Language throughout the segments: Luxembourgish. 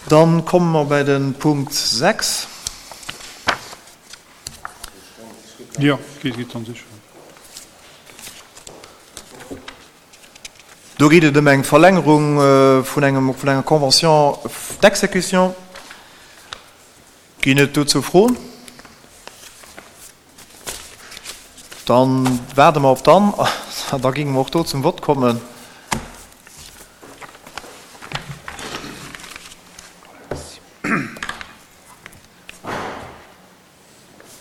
Dann komme mer bei de Punkt 6. Jo, geet an sech. Do geet et ëm eng Verlängerung vun engem, vun enger Convention d'exécution. Ginn et dozou Froen? Dann waarde mer op d'Anne an da géinge mer och do zum Vott kommen.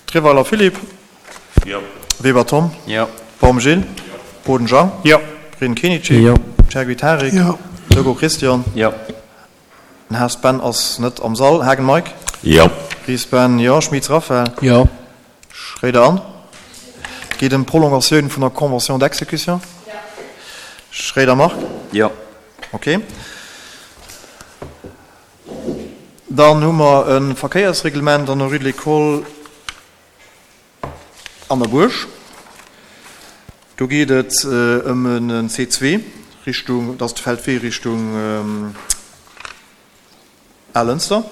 Treweiler Philippe. Jo. Weber Tom. Jo. Baum Gilles. Boden Jean. Jo. Prin Kenichi. Jo. Chergui Tarik. Jo. Togo Christian. Jo. Den Haas Ben ass net am Sall. Haagen Mike. Jo. Ries Ben, jo. Schmitz Raphaël. Jo. Schréider Anne. Et geet ëm d'Prolongatioun vun der Convention d'exécution. Schréider Marc. Jo. Ok. Dann hu mer e Verkéiersreglement an der Rue de l'École an der Buerg. Do geet et ëm en C2 Richtung, dat ass de Feldwee Richtung Alënster.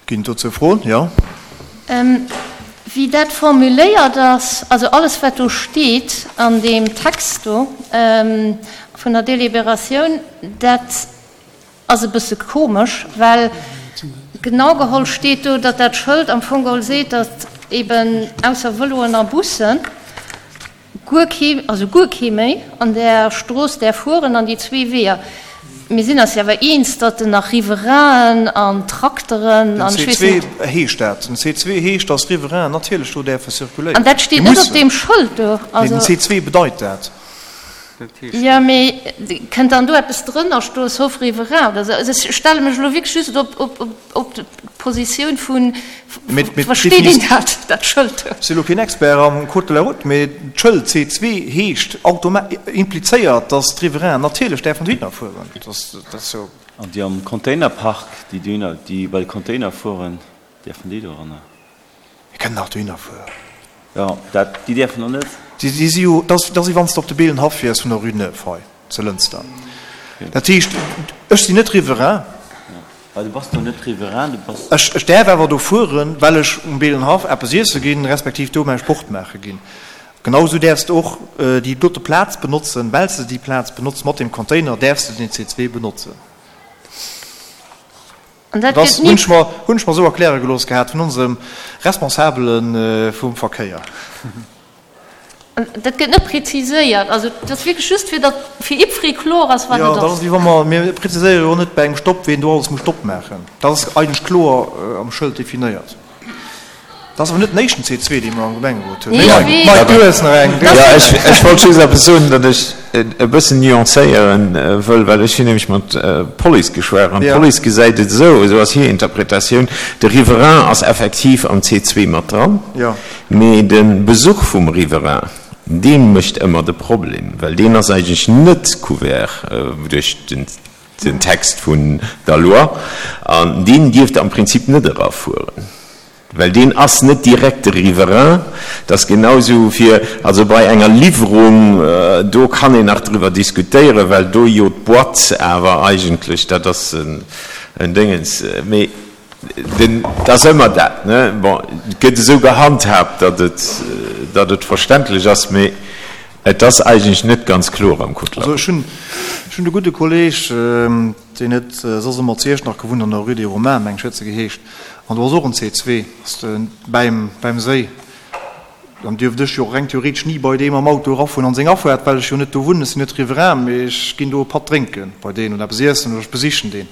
Ginn et dozou Froen? Jo. Wéi dat formuléiert ass, also alles wat do steet an deem Text do vun der Délibératioun, dat ass e bësse komesch, well genau geholl steet do, datt dat Schëld am Fong geholl seet, datt eben ausser Vëloen a Bussen guer kee, also guer kee méi an där Strooss däerf fueren an déi zwee Weeër. Mir sinn eis jo awer eens, datt en nach Riverainen an Trakteren Den an ech weess net. C2 heescht dat. Den C2 heescht, datt Riverainen natierlech do däerfe circuléieren. An dat steet Déi net op mussen. deem Schëld do. Nee, den Also. C2 bedeit dat. Jo, mee kënnt dann do eppes drënner stoen, sauf riverain oder esou? Also ech stelle mech elo wierklech just op, op, op d'Positioun vun, versteet een dat, dat Schëld do? Ech si elo keen Expert am Code de la route, mee d'Schëld C2 heescht, implizéiert, datt d'Riverainen natierlech däerfen dohinner fueren. Dat ass jo. An déi am Containerpark, déi dohinner, déi bei de Container fueren, däerfen déi doranner? Mir kënnen nach dohinner fueren. Jo, dat, déi däerfen och net. Déi si jo, dat ass wéi wann s de op de Beelenhaff wiers vun der Rue Neuve hei zu Lënster. Dat heescht, ech sinn net Riverain. Well du bass do net Riverain, du bass. Ech, ech däerf awer do fueren, well ech um Beelenhaff eppes iesse ginn, respektiv do mäi Sport maache ginn. Genau esou däerfs de och déi dote Plaz benotzen, well s de déi Plaz benotz mat deem Container, däerfs de den C2 benotzen. An dat Dat gëtt ni. hunn ech mer, hunn ech mer esou erkläre gelooss gehat vun onsem Responsabele vum Verkéier. An dat gëtt net preziséiert. Also dat ass wierklech just, fir datt fir jiddweree kloer ass, wat Jo, et dat ass ass. wéi wa mer, mir preziséiere jo och net bei engem Stopp, ween do alles muss Stopp maachen. Dat ass eigentlech kloer am Schëld definéiert. Dat ass awer net den éischten C2, dee mer am Gemengerot hunn. Nee, ech weess. Mike, du hues nach eng. Jo, ech, ech wollt just eppes soen, datt ech e bëssen nuancéieren wëll, well ech hunn nämlech mat Police geschwat an d'Police gesäit et esou, esou ass hir Interpretatioun, de Riverain ass effektiv am C2 mat dran, mee de Besuch vum Riverain, dee mécht ëmmer de Problem, well deen ass eigentlech net couvert duerch den den Text vun der Loi, an deen dierft am Prinzip net erafueren, well deen ass net direkt de Riverain. Dat ass genau esou fir, also bei enger Liwwerung, do kann een nach driwwer diskutéieren, well do jo d'Boîte awer eigentlech, dat ass en Déngens, mee den, dat ass ëmmer dat, ne? Bon, et gëtt esou gehandhaabt, datt et, datt et verständlech ass, mee Et ass eigentlech net ganz kloer am Code de la Also ech route. hunn, ech hunn e gudde Kolleg, deen huet soss ëmmer zu Iechternach gewunnt, an der Rue des Romains, meng ech huet se geheescht, an do ass och en C2, ass de bäim, bäim Séi. Dann dierft ech jo reng theoretesch ni bei deem am Auto erafueren an seng Afuert, well ech jo net do wunnen, ech sinn net Riverain, mee ech ginn do e Patt drénke bei deen oder eppes iessen oder ech besichen deen.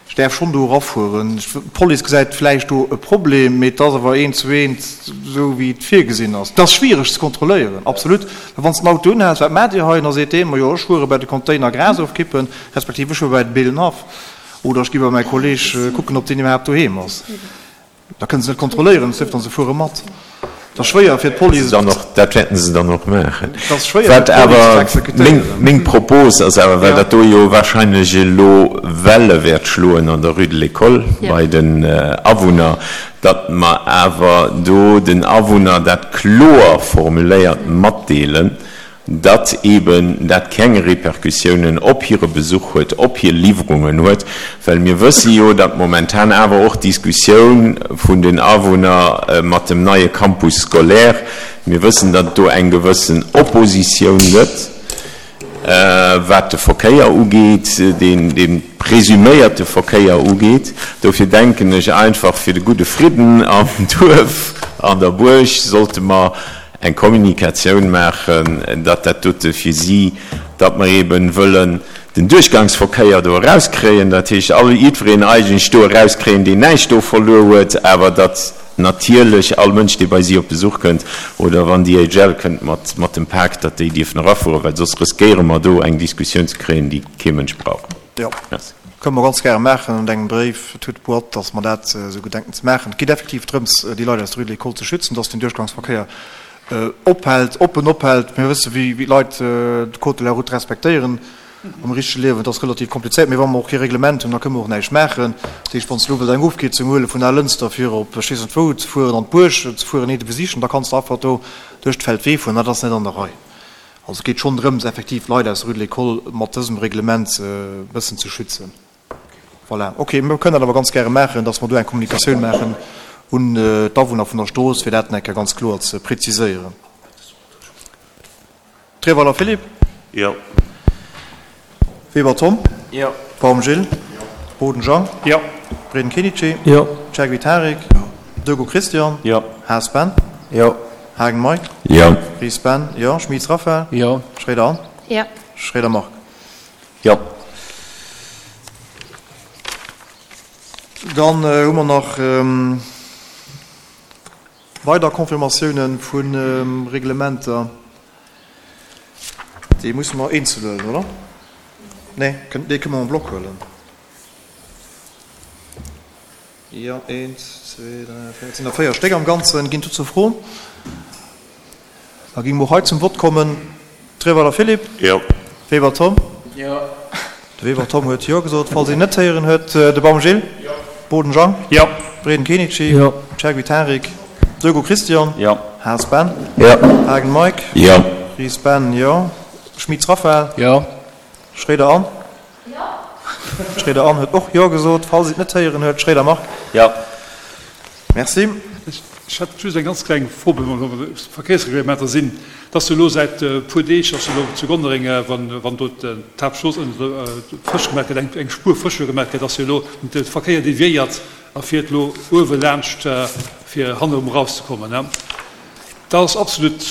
Ech däerf schonn do erafueren. D'Police gesäit vläicht do e Problem, mee et ass awer eent zu eent esou, wéi et virgesinn ass. Et ass schwiereg ze kontrolléieren, absolut. Well wann s de den Auto unhäls, wat maacht Dir hei? An da seet dee, Majo, ech fuere bei de Container Gras ofkippen, respektiv ech fuere bei de Beelenhaff oder ech gi bei mäi Kolleeg kucken, ob deen iwwerhaapt doheem ass. Da kënne se net kontrolléieren, et sief dann se fuere mat. Et ass schwéier fir d'Police. Dann och, dat wäerten se dann och maachen. Et ass schwéier fir Wat d'Police ze awer exekutéieren. meng Propos ass awer, well dat do jo wahrscheinlech elo Welle wäert schloen an der Rue de l'École bei den Awunner, datt mer awer do den Awunner dat kloer formuléiert matdeelen. datt eeben dat keng Repercussiounen op hire Besuch huet, op hir Liwwerungen huet, well mir wësse jo, datt momentan awer och d'Diskussioun vun den Awunner mat dem neie Campus scolaire, mir wëssen, datt et do eng gewëssen Oppositioun gëtt, wat de Verkéier ugeet, dee presuméierte Verkéier ugeet. Dofir denken ech einfach, fir de gudde Fridden am Duerf, an der Buerg, sollte mer eng Kommunikatioun maachen, datt dat dote fir si, datt mer eeben wëllen den Duerchgangsverkéier do erauskréien, dat heescht all, jiddwereen eigentlech do erauskréien, deen näischt do verluer huet, awer datt natierlech all Mënsch, dee bei si op Besuch kënnt oder wann DHL kënnt mat, mat dem Pak, datt déi dierfen erafueren, well soss riskéiere mer do eng Diskussioun ze kréien, déi kee Mënsch brauch. Jo, kënne mer ganz gäre maachen an engem Bréif toute boîte, dass mer dat esou gedenken ze maachen. Et geet effektiv drëms, déi Leit aus der Rue de l'École ze schützen, dass den Duerchgangsverkéier ophält, oppen ophält. Mir wësse wéi d'Leit de Code de la route respektéieren am richtege Liewen. Dat ass relativ komplizéiert. Mee wa mer och kee Reglement hunn, da kënne mer och näischt maachen. Dat heescht, wann s de elo wëlls eng Ofkierzung huele vun Alënster fir op ech weess net wou ze fueren, an d'Buerg ze fueren, eent besichen, da kanns de einfach do duerch d'Feldwee fueren. Dat ass net an der Rei. Also et geet schonn drëms, effektiv d'Leit aus der Rue de l'École mat dësem Reglement e bëssen ze schützen. Voilà, okay, mir kënnen dat awer ganz gäre maachen, dass mer do eng Kommunikatioun maachen un d'Awunner vun der Strooss, fir dat nach eng Kéier ganz kloer ze preziséieren. Treweiler Philippe? Jo. Weber Tom? Jo. Baum Gilles? Jo. Boden Jean? Jo. Breden Kenichi? Jo. Chergui Tarik? Jo. Dego Christian? Jo. Haas Ben? Jo. Hagen Mike? Jo. Ries Ben? Jo. Schmitz Raphaël? Jo. Schréider Anne? Jo. Schréider Marc? Jo. Dann hu mer nach weider Confirmatiounen vu Reglementer. Déi musse mer eenzel huelen, oder? Nee, déi kënne mer en bloc huelen. Jo, eent, zwee, dräi, véier, et sinn der véier Stéck am Ganzen. Ginn dozou Froen? Da géinge mer och hei zum Vott kommen. Treweiler Philippe? Jo. Weber Tom? Jo. De Weber Tom huet Jo gesot. Falls een net héieren huet, de Baum Gilles? Jo. Boden Jean? Jo. Breden Kenichi? Jo. Chergui Tarik? Dego Christian? Jo. Haas Ben? Jo. Hagen Mike? Jo. Ries Ben? Jo. Schmitz Raphaël? Jo. Schréider Anne? Jo. Schréider Anne huet och Jo gesot. Falls een et net héieren huet, Schréider Marc? Jo. Merci. Ech hätt just eng ganz kleng Fro, wa mer bei Verkéiersreglementer sinn. Et ass jo elo säit e puer Deeg ass jo elo zu Gonnereng, wann do d'Haaptstrooss frësch gemaach gëtt, eng Spuer frësch gemaach gëtt, ass jo elo de Verkéier deviéiert a fiert elo uewe laanscht, fir hannerum erauszekommen. Dat ass absolut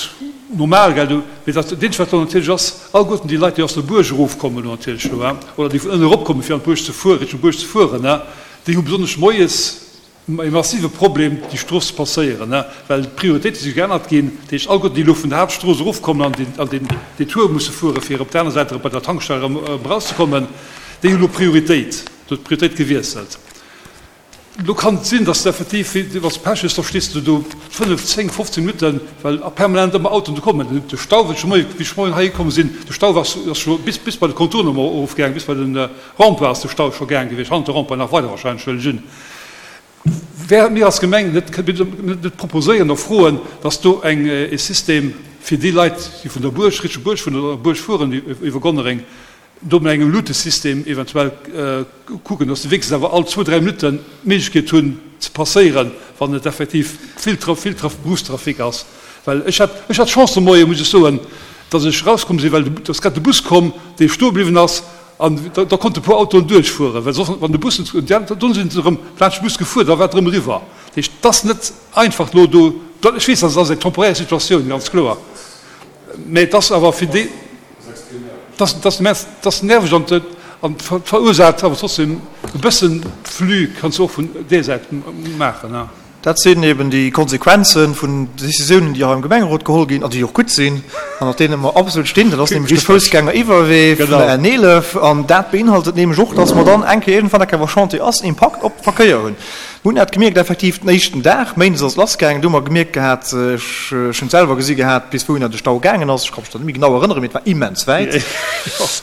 normal, gell? Mee dat eenzegt, wat do natierlech ass, alleguerten déi Leit, déi aus der Buerg erofkommen elo natierlech elo, oder déi vun ënne eropkommen, fir an d'Buerg ze fueren, Richtung Buerg ze fueren, déi hu besonnesch moies e massive Problem, déi Strooss ze passéieren, well d'Prioritéite si geännert ginn. Dat heescht, alleguerten, déi elo vun der Haaptstrooss erofkommen an den, den Detour musse fueren, fir op der aner Säit erëm bei der Tankstell erëm erauszekommen, déi hu elo Prioritéit. Do huet d'Prioritéit gewiesselt. Elo kann et sinn, dass de effektiv, wann s de Pech hues, da stees de do 5, 10, 15 Minutten, well permanent ëmmer Autoen do kommen. De Stau, wéi ech moien, wéi ech moien heihi komm sinn, de Stau ass scho bis, bis bei de Contournement erofgaangen, bis bei de Rond-point ass de Stau scho gaang gewiescht, hannert de Rond-point nach weider wahrscheinlech, huelen ech un. Wäre mir als Gemeng net, net proposéieren oder froen, dass do eng, e System fir déi Leit, déi vun der Buerg, Richtung Buerg, vun der Buerg fueren iwwer Gonnereng, do mat engem Lutesystem eventuell kucken, dass se wéinstens awer all zwou, dräi Minutten d'Méiglechkeet hunn ze passéieren, wann et effektiv vill, vill Berufstrafic ass. Well ech hat, ech hat Chance de Moien, muss ech soen, dass ech erauskomm sinn, well et ass grad de Bus komm, dee stoe bliwwen ass, An da konnte puer Autoen duerchfueren, well soss, wann de Bus net, dunn sinn se erëm laanscht de Bus gefuer, da war et erëm eriwwer. Dat heescht, et ass net einfach elo do, ech weess, dat ass eng temporaire Situatioun, ganz kloer, mä et ass awer fir déi, et ass, et ass immens, et ass nerveg an et verursaacht awer trotzdem e bëssen Flux, kanns du och vun där Säit maachen. Dat sinn eben déi Konsequenze vun Décisiounen, déi hei am Gemengerot geholl ginn an déi och gutt sinn an op deene mer absolut stinn. Dat ass nämlech de Foussgängeriwwerwee vun der N11 an dat beinhaltet nämlech och, dass mer dann eng Kéier iergendwann eng Kéier, wa Chantier ass, Impakt op de Verkéier hunn. Mir hunn dat gemierkt effektiv den éischten Dag, méindes ass et lassgaangen, do hu mer gemierkt gehat, ech hunn et selwer gesi gehat, bis wouhinner de Stau gaangen ass. Ech ka mech dat net méi genau erënneren, mee et war immens wäit,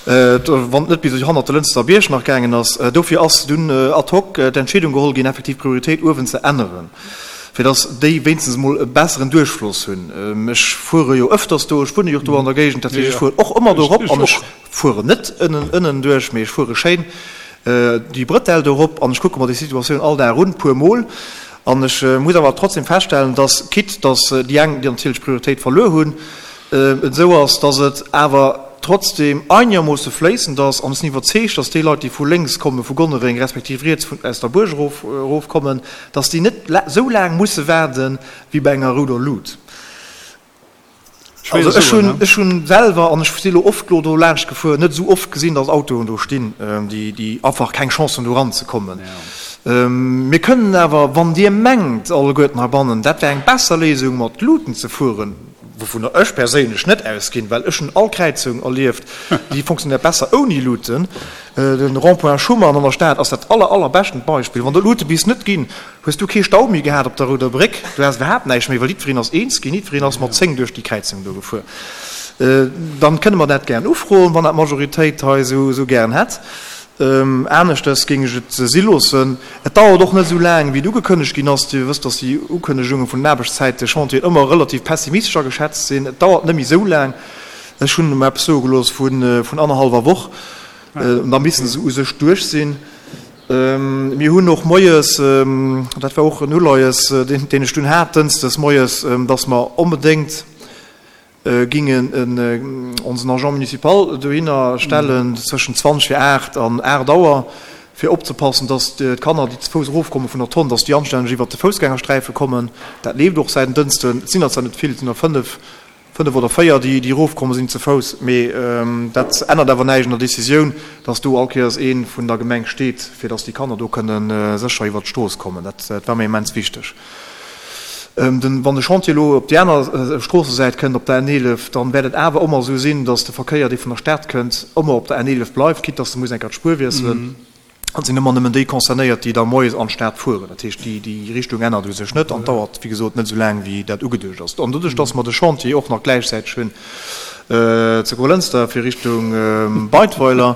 wann et net bis hannert de Lënster Bierg nach gaangen ass. Dofir ass dunn ad hoc d'Entscheedung geholl ginn, effektiv d'Prioritéit uewen ze änneren. Fir dass déi wéinstens emol e besseren Duerchfloss hunn. Ech fuere jo ëfters do, ech wunne jo och do an der Géigend, dat heescht, ech fueren och ëmmer do erop an ech fueren net ënnen ënnen duerch, mee ech fuere schéin déi Brëtell do erop an ech kucke mer déi Situatioun all Dag un, puer Mol. An ech muss awer trotzdem feststellen, dass, quitte dass déi eng déi natierlech Prioritéit verluer hunn, et esou ass, dass et awer trotzdem einegermoosse fléissend ass. An ech sinn iwwerzeegt, dass déi Leit, déi vu lénks komme vu Gonnereng, respektiv riets vun aus der Buerg erof erofkommen, dass déi net esou laang musse waarde wéi bei enger rouder Lut. Also ech hunn, ech hunn selwer, an ech si lo oft lo do laanscht gefuer, net esou oft gesinn, dass Autoen do stinn, déi, déi einfach keng Chance hunn do eranzekommen. Mir kënnen awer, wann Dir mengt alleguerten heibannen, dat wär eng besser Léisung mat Luten ze fueren, wouvunner ech perséinlech net ausginn, well ech hunn all Kräizung erlieft, déi fonctionnéiert besser ouni Luten. Den Rond-point Schuman an der Stad ass dat aller, allerbeschtent Beispill. Wann do Lute bis net ginn, hues du kee Stau méi gehat op der Rouder Bréck, du has iwwerhaapt näischt méi, well jiddwereen ass eens ginn, jiddwereen ass mat 10 duerch déi Kräizung do gefuer. Dann kënne mer dat gären ufroen, wann dat d'Majoritéit hei esou gären hätt. Aneschtes géing ech et si loossen. Et dauert och net esou laang, wéi et ugekënnegt ginn ass. Dir wësst, dass déi Ukënnegunge vun den Aarbechtszäite-Chantieren ëmmer relativ pessimistesch ageschätzt sinn. Et dauert net méi esou laang. Ech hunn mer eppes soe gelooss vun annerhallwer Woch. Da misste se u sech duerch sinn. Mir hunn och moies, dat war och en Uleies, deen ech dunn hat, dënschdes moies, dass mer onbedéngt, gingen onsen Agent municipal dohinner stellen zwëschen 20 vir 8 an 8 Auer, fir opzepassen, dass d'Kanner, déi ze Fouss erofkomme vun der Tonn, dass déi anstänneg iwwert de Foussgängersträife kommen. Dat leeft och säit en Dënschden. Et sinn der zwar net vill, et sinn der 5, 5 oder 4, déi erofkomme sinn ze Fouss, mee dat ännert awer näischt un der Décisioun, dass do all Kéiers ee vun der Gemeng steet, fir dass déi Kanner do kënne sécher iwwert d'Strooss kommen. Dat war mir immens wichteg. Wann de Chantier elo op déi aner Stroossesäit kënnt, op der N11, dann wäert et awer ëmmer esou sinn, datt de Verkéier, dee vun der Stad kënnt, ëmmer op der N11 bleift, quitte datt e muss eng Kéier d'Spuer wiesselen. An et sinn ëmmer nëmmen déi concernéiert, déi da moies an d'Stad fueren. Dat heescht, déi Richtung ännert u sech net an dauert, wéi gesot, net esou laang, wéi dat ugeduecht ass. An doduerch, datt mer de Chantier och nach gläichzäiteg hunn zu Grolënster fir Richtung Beidweiler,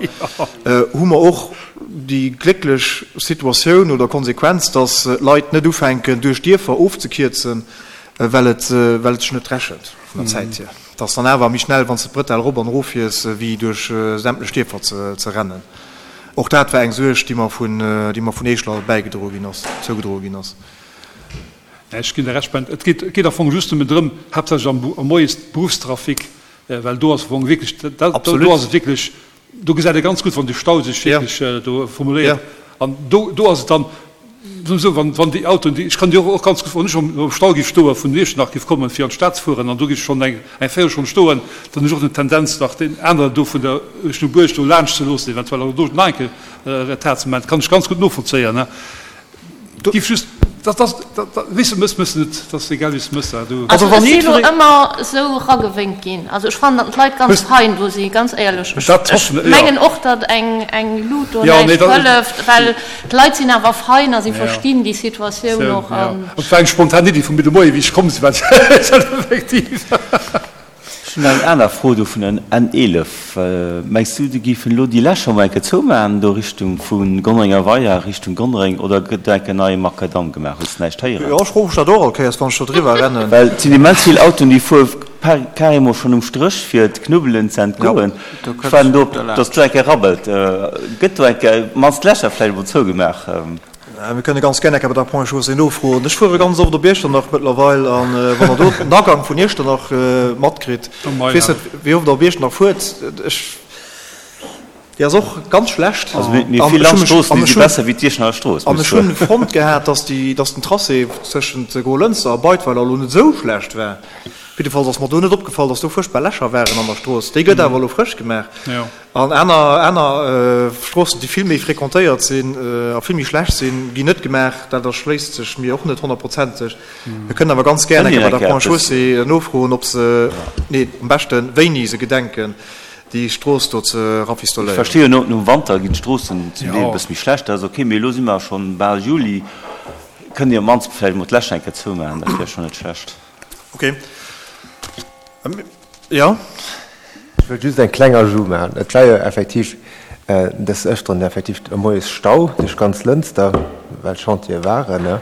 hu mer och, déi glécklech Situatioun oder Konsequenz, dass d'Leit net ufänken, duerch Dierfer ofzekierzen, well et well et sech net rechent vun der Zäit hier. Et ass dann awer méi schnell, wann s de d'Bretelle erop an erof fiers, wéi duerch sämtlech Dierfer ze rennen. Och dat war eng Suerg, déi mer vun déi mer vun Eeschler bäigedroe ginn ass, zougedroe ginn ass. Ech ginn der Recht, Ben. Et geet et geet am Fong just nëmmen drëm, haaptsächlech am am Moies, Beruffstrafic, well do ass am Fong wierklech, do ass et wierklech, Do gesäit ee ganz gutt, wann de Stau sech wierklech do formuléiert. An do, do ass et dann esou, wann, wann déi Autoen, déi, ech kann déi och, och ganz gutt, wann ech am Stau géif stoen, vun Iechternach géif kommen, fir an d'Stad ze fueren, an do géif ech schonn eng, eng Véierelstonn stoen, dann hunn ech och den Tendenz, nach deen aneren do vun der Richtung Buerg do laanscht ze loossen eventuell, an do nach eng Kéier Retard ze maachen. Dat kann ech ganz gutt novollzéien. Giff just, dat ass, dat, weess de, mëss, mëss net, dat ass egal wéi s de mëss, du. Also ech si lo ëmmer esou ragewénkt ginn. Also ech fannen, datt d'Leit ganz fein do si, ganz éierlech. Ech, ech mengen och, datt eng, eng Lut do näischt hëlleft, well d'Leit sinn awer fein a si verstinn déi Situatioun och an. Et war eng spontan Iddi vu mir de Moien, wéi ech komm sinn, well effektiv. Ech hunn nach eng aner Fro do vun der N 11. Mengs du, déi géifen elo déi Lächer mol eng Kéier zoumaachen do Richtung vu Gonnerenger Weier Richtung Gonnereng oder gëtt do eng Kéier neie Makadamm gemaach? Hues de näischt héieren? Jo, ech froe mech dat och all Kéiers, wann ech do driwwer rennen. Well et sinn immens vill Autoen, déi fuere carrément schonn um Stréch fir d'Knubbelen ze entgoen. Ech waarden do, datt do eng Kéier rabbelt. Gëtt do eng Kéier mannst d'Lächer vläicht emol zougemaach? Mir kënne ganz gär eng Kéier bei der Ponts et Chaussées nofroen. Ech fuere ganz oft op Iechternach mëttlerweil an wann Der do den Agank vun Iechternach matkritt, ech weess net, wéi oft Der op Iechternach fuert, ech, déi ass och ganz schlecht. Also mir vill Landstroossen, déi si besser wéi d'Iechternacher Strooss, muss ech soen. An ech hunn fonnt gehat, dass déi, dass den Tracé tëschent Grolënster a Beidweiler elo net esou schlecht war. Jiddefalls ass mer do net opgefall, dass do fuerchtbar Lächer waren an der Strooss. Déi gëtt awer elo frësch gemaach. An aner, aner Stroossen, déi vill méi fréquentéiert sinn a vill méi schlecht sinn, ginn net gemaach. Dat erschléisst sech mir och net honnertprozenteg. Mir kënnen awer ganz gär eng Kéier bei der Ponts et Chaussées nofroen, ob se, nee, am beschte wéini se gedenken, déi Strooss do ze rafistoléieren. Ech versti jo, nom Wanter ginn d'Stroossen zum Deel e bësse méi schlecht, dat ass ok, mee elo si mer schonn bal Juli. Kënnt Dir op d'mannst vläicht emol d'Lächer eng Kéier zoumaachen, dat wär schonn net schlecht. Ok. Jo. Ech wëllt just eng kleng Ajout maachen. Et war jo effektiv des Ëfteren effektiv e moies Stau duerch ganz Lënster, well Chantiere waren.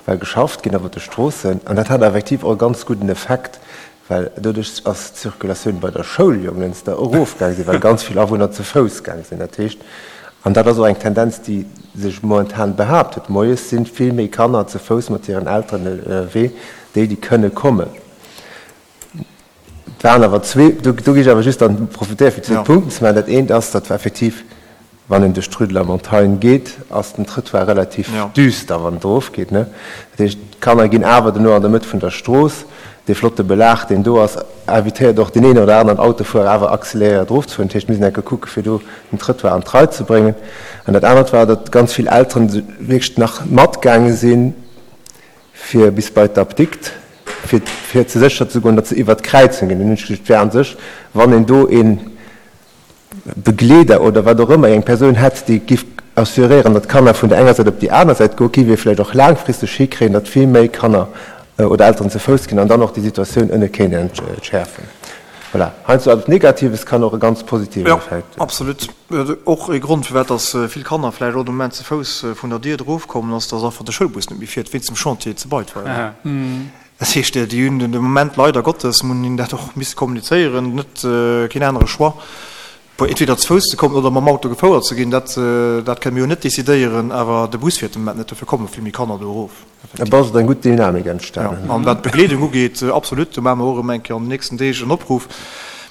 Well geschafft ginn ass op de Stroossen. An dat hat effektiv och e ganz gudden Effekt, well doduerch ass d'Circulatioun bei der Schoul Jonglënster erofgaang sinn, well ganz vill Awunner ze Fouss gaang sinn. Dat heescht, an dat ass och eng Tendenz, déi sech momentan behaapt huet, moies si vill méi Kanner ze Fouss mat hiren Elteren ënnerwee, déi, déi kënne kommen. Et waren awer zwee, do géif ech awer just dann profitéieren, fir zwee Punkten ze maachen. Dat eent ass, datt effektiv, wann een duerch d'Rue de la Montagne geet, ass den Trëttoir relativ düster, wann et erofgeet. Dat heescht, d'Kanner ginn awer duerno an der Mëtt vun der Strooss. Dee flotte Belag, deen do ass, invitéiert och deen een oder aneren Autofuerer awer accéléréiert erofzefueren. Dat heescht, mir sinn enke kucke fir do den Trëttoir an d'Rei ze bréngen. An dat anert war, datt ganz vill Elteren wierklech nach matgaange sinn, fir bis bei d'Apdikt, fir fir ze sécher ze goen, datt se iwwert d'Kräizung ginn. Dann hunn ech gesot, et wär a sech, wann een do ee Begleeder oder wat och ëmmer, eng Persoun hätt, déi giff assuréieren, datt d'Kanner vun der enger Säit op déi aner Säit goen, giff ee vläicht och laangfristeg hikréien, datt vill méi Kanner oder Elteren ze Fouss ginn an dann och déi Situatioun ënne kéint entschäerfen. Voilà, heiansdo eppes Negatives kann och e ganz positiven Effekt hunn. Jo, absolut. Och ee Grond, firwat dass vill Kanner vläicht och de Moment ze Fouss vun der Dier erofkommen, ass, dass einfach de Schoulbus net méi fiert wéinst dem Chantier zu Beidweiler. Dat heescht, déi hunn de Moment leider Gottes, muss een dat och misse kommunizéieren, net keen anere Choix, entweder ze Fouss ze kommen oder mam Auto gefouert ze ginn. Dat, dat kënne mir jo net decidéieren, awer de Bus fiert de Moment net, dofir komme vill méi Kanner do erof. Et ass eng gutt Dynamik entstanen. Jo, an wat d'Begleedung ugeet, absolut, do maache mer och erëm eng Kéier an den nächsten Deeg en Opruff.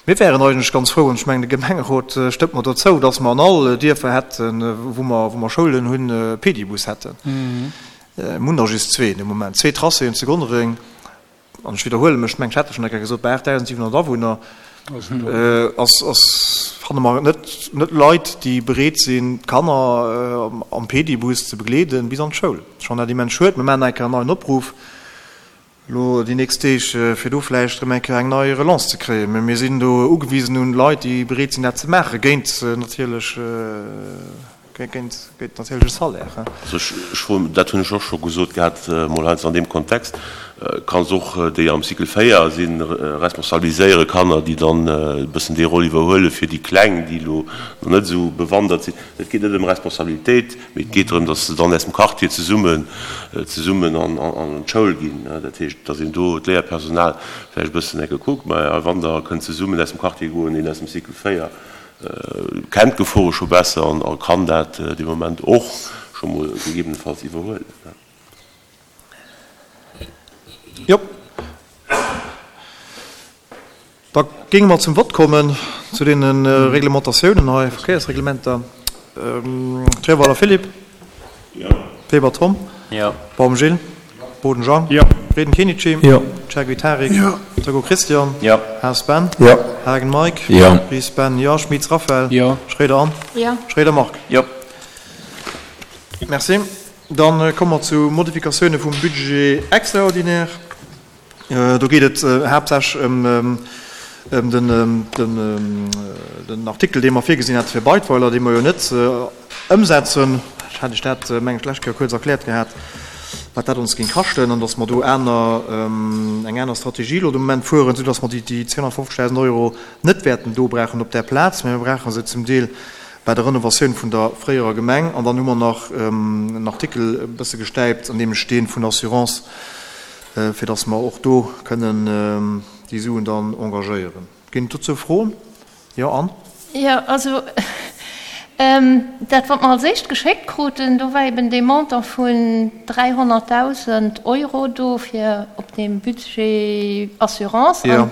Mir wären eigentlech ganz frou, an ech mengen, de Gemengerot stëmmt mer do zou, dass mer an all Dierfer hätten, wou mer, wou mer Schoulen hunn, e Pedibus hätten. Mir hunn der just zwee de Moment, zwee Tracéen zu Gonnereng. An ech widderhuele mech, ech mengen, ech hat dat schonn eng Kéier gesot, bei 8.700 Awunner ass, ass, fanne mer net, net Leit, déi bereet sinn, d'Kanner am Pedibus ze begleeden bis an d'Schoul. Ech fannen dat immens schued. Mir maachen nach eng Kéier en neien Opruff elo déi nächst Deeg, fir do vläicht erëm eng Kéier eng nei Relance ze kréien. Mä mir sinn do ugewisen un Leit, déi bereet sinn, dat ze maachen, géint natierlech, Géint natierlech e Salaire. Also ech froen, dat hunn ech och scho gesot gehat mol heiansdo an deem Kontext, kanns och déi am Cycle 4 sinn, responsabiliséiere Kanner, déi dann e bëssen déi Roll iwwerhuele fir déi Kleng, déi elo nach net esou bewandert sinn. Et geet net ëm Responsabilitéit, mee et geet drëm, datt se dann aus dem Quartier zesummen, zesummen an d'Schoul ginn. Dat heescht, datt een do d'Léierpersonal vläicht e bëssen enke kuckt, ma wann der kënnt zesummen aus dem Quartier goen, een aus dem Cycle 4, Kennt d'Gefore scho besser an a kann dat dee Moment och scho mol gegebenenfalls iwwerhuelen. Jo. Da géinge mer zum Vott kommen zu deene Reglementatiounen hei, Verkéiersreglementer. Trierweiler Philippe. Jo. Weber Tom. Jo. Baum Gilles. Boden Jean. Jo. Frieden Kenichi. Jo. Chergui Tarik. Jo. Turgo Christian. Jo. Haas Ben. Jo. Haagen Mike. Jo. Ries Ben, jo. Schmitz Raphaël. Jo. Schroeder Anne. Jo. Schroeder Marc. Jo. Merci. Dann komme mer zu Modifikatioune vum Budget extraordinaire. Do geet et haaptsächlech ëm den Artikel, dee mer virgesinn hate fir Beidweiler, dee mer jo net ëmsetzen. Ech hat Iech dat, meng ech, d'lescht Kéier kuerz erkläert gehat, wat dat ons géing kaschten an datt mer do aner, eng aner Strategie elo de Moment fueren, soudatt mer déi 250.000 Euro net wäerten do brauchen op där Plaz, mä mir brauche se zum Deel bei der Renovatioun vun der fréierer Gemeng. An dann hu mer nach en Artikel e bësse gestäipt, nämlech dee vun der Assurance, fir dass mer och do kënnen déi Suen dann engagéieren. Ginn et dozou Froen? Jo, Anne? Jo, also dat, wat mer als éischt geschéckt kruten, do war eben dee Montant vun 300.000 Euro do fir op deem Budget Assurance. An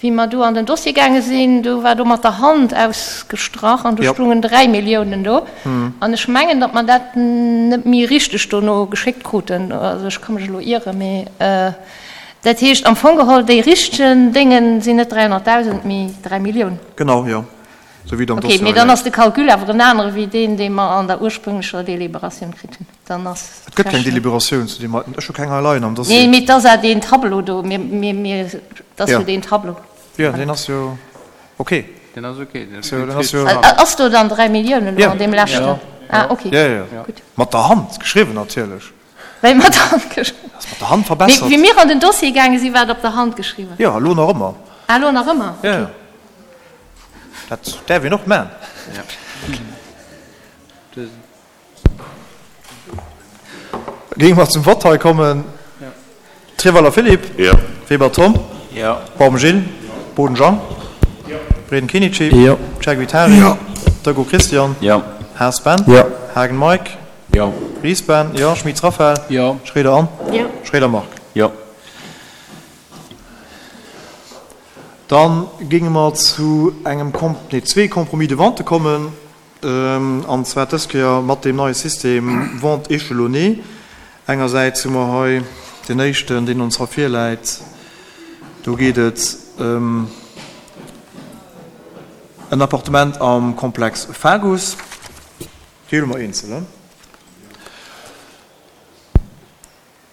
wéi mer do an den Dossier gaange sinn, do war do mat der Hand ausgestrach an do stoungen 3 Milliounen do. An ech mengen, datt mer dat net méi richteg dono geschéckt kruten. Also ech ka mech elo ieren, mee dat heescht am Fong geholl, déi richtegen Dénge sinn net 300.000, mee 3 Milliounen. Genau, jo. Esou wéi et am Okay, Dossier mee hei dann läit. ass de Calcul awer en anere wéi deen, dee mer an der ursprünglecher Deliberatioun kritt hunn. Dann ass Et gëtt keng d'Rechnung. Deliberatioun zu deem heiten. Ech hu keng hei leien am Dossier. Nee, mee et ass awer deen Tableau do. Mir, mir, mir, et ass Jo. jo deen Tableau. Jo, deen ass jo ok. Deen ass ok. Deen ass jo, deen ass jo. Ass do dann 3 Milliounen elo Jo. an deem leschten? Jo. Ah, ok. Jo, jo, jo. Gutt. Mat der Hand geschriwwen natierlech. Wéi mat der Hand geschriwwen? Ass mat der Hand verbessert. Mee wéi mir an den Dossier gaange sinn, war et op der Hand geschriwwen. Jo, elo nach ëmmer. Ah, elo nach ëmmer? Jo, jo. Dat däerf een och man. Géinge mer zum Vott hei kommen. Treweiler Philippe. Jo. Weber Tom. Jo. Baum Gilles. Boden Jean. Jo. Breden Kenichi. Jo. Chergui Tarik. Jo. Dego Christian. Jo. Haas Ben. Jo. Haagen Mike. Jo. Ries Ben. Jo. Schmitz Raphaël. Jo. Schroeder Anne. Jo. Schroeder Marc. Jo. Dann géinge mer zu engem, nee, zwee Compromis de vente kommen. An zwar dës Kéier mat deem neie System Vente échelonnée. Engersäits hu mer hei deen éischten, deen ons hei virläit. Do geet et ëm en Appartement am Komplex Fagus. Déi huele mer eenzel, he?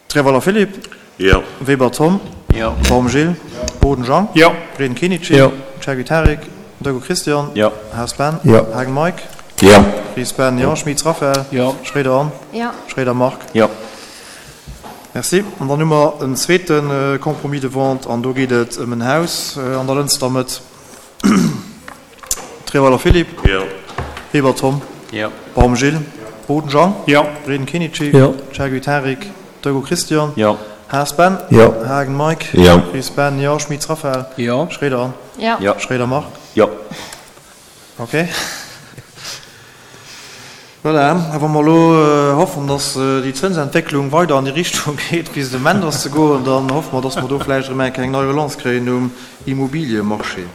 Treweiler Philippe. Jo. Weber Tom. Jo. Baum Gilles. Boden Jean. Jo. Breden Kenichi. Jo. Chergui Tarik. Dego Christian. Jo. Haas Ben. Jo. Haagen Mike. Jo. Ries Ben. Jo. Schmitz Raphaël. Jo. Schroeder Anne. Jo. Schroeder Marc. Jo. Merci. An dann hu mer en zweete Compromis de vente an do geet et ëm en Haus an der Lënster Mëtt. Treweiler Philippe. Jo. Weber Tom. Jo. Baum Gilles. Boden Jean. Jo. Breden Kenichi. Jo. Chergui Tarik. Dego Christian. Jo. Haas Ben. Jo. Haagen Mike. Jo. Ries Ben. Jo. Schmitz Raphaël. Jo. Schroeder Anne. Jo. Jo. Schroeder Marc. Jo. Ok. Voilà, a wa mer elo hoffen, dass déi Zënsentwécklung weider an déi Richtung geet, wéi se de Moment ass ze goen, dann hoffe mer, dass mer do vläicht erëm eng Kéier eng nei Relance kréien um Immobiliemarché.